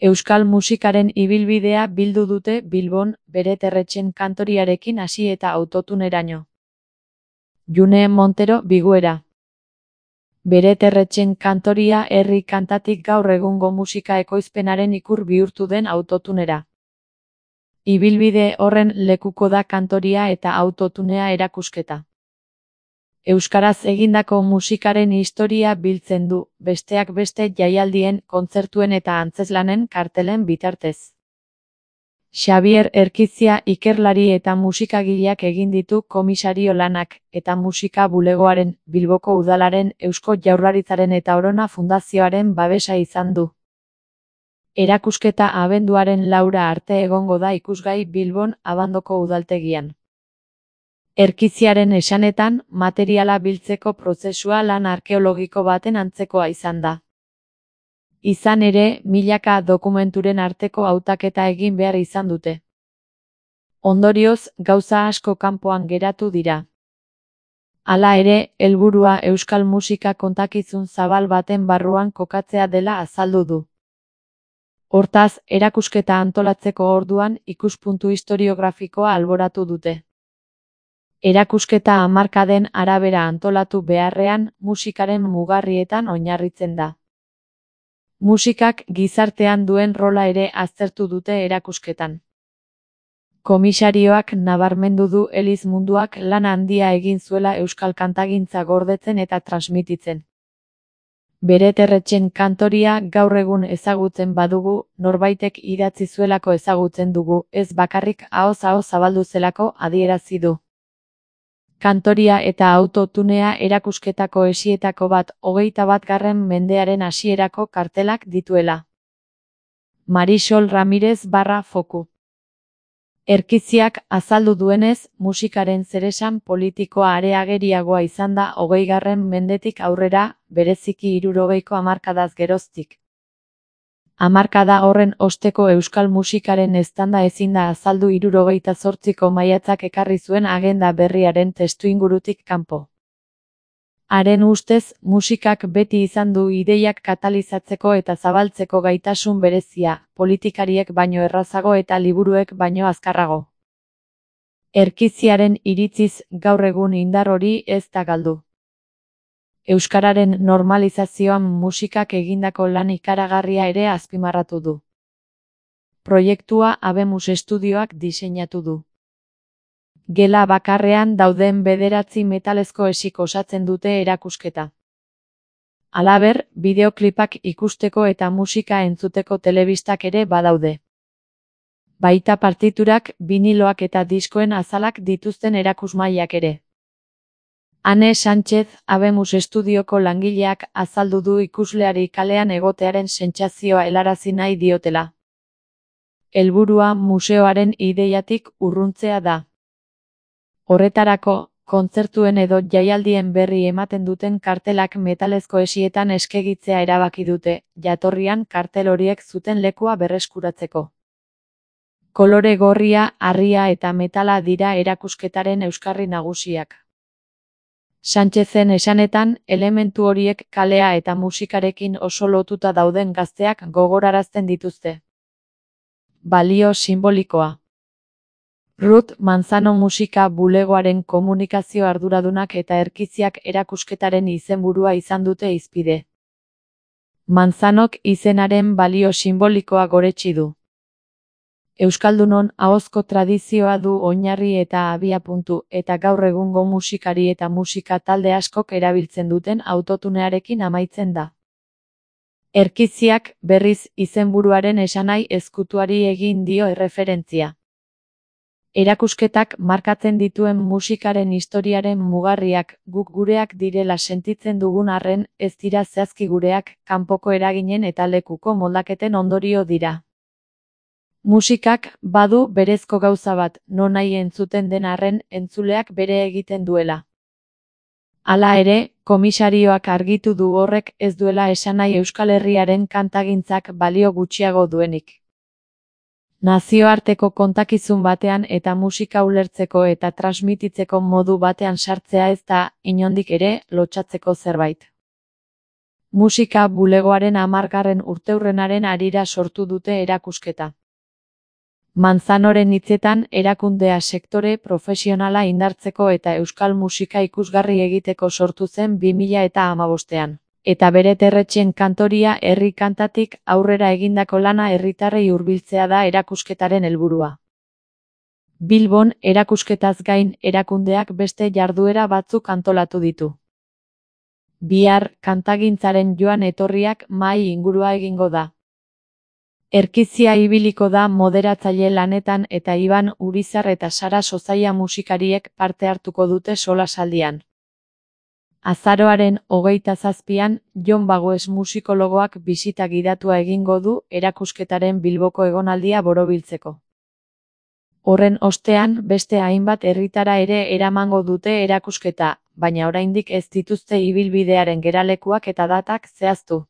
Euskal musikaren ibilbidea bildu dute Bilbon, Beret Erretxen kantoriarekin hasi eta autotuneraino. June Montero Biguera. Beret Erretxen kantoria herri kantatik gaur egungo musika ekoizpenaren ikur bihurtu den autotunera. Ibilbide horren lekuko da kantoria eta autotunea erakusketa. Euskaraz egindako musikaren historia biltzen du, besteak beste jaialdien, kontzertuen eta antzeslanen kartelen bitartez. Xabier Erkizia ikerlari eta musikagileak egin ditu komisario lanak, eta musika bulegoaren, Bilboko Udalaren, Eusko Jaurlaritzaren eta Orona Fundazioaren babesa izan du. Erakusketa abenduaren 4 arte egongo da ikusgai Bilbon Abandoko udaltegian. Erkiziaren esanetan, materiala biltzeko prozesua lan arkeologiko baten antzekoa izan da. Izan ere, milaka dokumenturen arteko hautaketa egin behar izan dute. Ondorioz, gauza asko kanpoan geratu dira. Hala ere, helburua euskal musika kontakizun zabal baten barruan kokatzea dela azaldu du. Hortaz, erakusketa antolatzeko orduan ikuspuntu historiografikoa alboratu dute. Erakusketa hamarkaden arabera antolatu beharrean, musikaren mugarrietan oinarritzen da. Musikak gizartean duen rola ere aztertu dute erakusketan. Komisarioak nabarmendu du eliz munduak lan handia egin zuela euskal kantagintza gordetzen eta transmititzen. Beret Erretxen kantoria gaur egun ezagutzen badugu, norbaitek idatzi zuelako ezagutzen dugu, ez bakarrik ahoz ahoz zabaldu zelako adierazi du. Kantoria eta autotunea erakusketako esietako bat 21. mendearen hasierako kartelak dituela. Marisol Ramirez /Foku. Erkiziak azaldu duenez, musikaren zeresan politikoa areageriagoa izan da 20. mendetik aurrera, bereziki 60ko hamarkadaz geroztik. Hamarkada horren osteko euskal musikaren eztanda ezin da azaldu 68ko maiatzak ekarri zuen agenda berriaren testuingurutik kanpo. Haren ustez, musikak beti izan du ideiak katalizatzeko eta zabaltzeko gaitasun berezia, politikariek baino errazago eta liburuek baino azkarrago. Erkiziaren iritziz, gaur egun indar hori ez da galdu. Euskararen normalizazioan musikak egindako lan ikaragarria ere azpimarratu du. Proiektua Habemus Estudioak diseinatu du. Gela bakarrean dauden 9 metalezko esik osatzen dute erakusketa. Halaber, bideoklipak ikusteko eta musika entzuteko telebistak ere badaude. Baita partiturak, biniloak eta diskoen azalak dituzten erakusmailak ere. Ane Sánchez, Habemus Estudioko langileak azaldu du ikusleari kalean egotearen sentsazioa helarazi nahi diotela. Helburua museoaren ideiatik urruntzea da. Horretarako, kontzertuen edo jaialdien berri ematen duten kartelak metalezko esietan eskegitzea erabaki dute, jatorrian kartel horiek zuten lekua berreskuratzeko. Kolore gorria, harria eta metala dira erakusketaren euskarri nagusiak. Sánchezen esanetan, elementu horiek kalea eta musikarekin oso lotuta dauden gazteak gogorarazten dituzte. Balio simbolikoa. Ruth Manzano musika bulegoaren komunikazio arduradunak eta Erkiziak erakusketaren izenburua izan dute hizpide. Manzanok izenaren balio simbolikoa goretsi du. Euskaldunon ahozko tradizioa du oinarri eta abiapuntu, eta gaur egungo musikari eta musika talde askok erabiltzen duten autotunearekin amaitzen da. Erkiziak, berriz, izenburuaren esanahi ezkutuari egin dio erreferentzia. Erakusketak markatzen dituen musikaren historiaren mugarriak guk gureak direla sentitzen dugun arren, ez dira zehazki gureak, kanpoko eraginen eta lekuko moldaketen ondorio dira. Musikak badu berezko gauza bat, nonahi entzuten den arren entzuleak bere egiten duela. Hala ere, komisarioak argitu du horrek ez duela esanahi Euskal Herriaren kantagintzak balio gutxiago duenik. Nazioarteko kontakizun batean eta musika ulertzeko eta transmititzeko modu batean sartzea ez da, inondik ere, lotsatzeko zerbait. Musika bulegoaren 10. urteurrenaren harira sortu dute erakusketa. Manzanoren hitzetan, erakundea sektore profesionala indartzeko eta euskal musika ikusgarri egiteko sortu zen 2015ean. Eta bere terretxen kantoria herri kantatik aurrera egindako lana herritarrei hurbiltzea da erakusketaren helburua. Bilbon, erakusketaz gain, erakundeak beste jarduera batzuk antolatu ditu. Bihar, kantagintzaren joan etorriak mahai ingurua egingo da. Erkizia ibiliko da moderatzaile lanetan eta Iban Urizar eta Sara Sozaia musikariek parte hartuko dute solasaldian. Azaroaren 27an, Jon Bagoes musikologoak bisita gidatua egingo du erakusketaren Bilboko egonaldia borobiltzeko. Horren ostean, beste hainbat herritara ere eramango dute erakusketa, baina oraindik ez dituzte ibilbidearen geralekuak eta datak zehaztu.